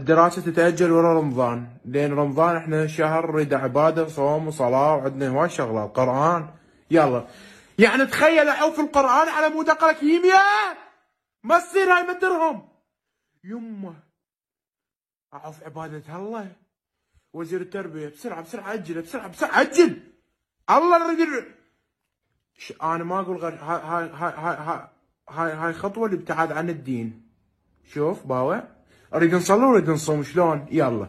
الدراسة تتأجل ورا رمضان، لين رمضان احنا شهر نريد عبادة صوم وصلاة وعندنا هواي شغلات قرآن. يلا يعني تخيل احوف القرآن على مود اقرا كيمياء، ما تصير هاي ما درهم. يمه اعوف عبادة الله. وزير التربية بسرعة بسرعة اجل، بسرعة بسرعة اجل. الله نريد انا ما اقول غير هاي خطوة الابتعاد عن الدين. شوف باوع، اريد نصلي ونريد نصوم شلون؟ يلا.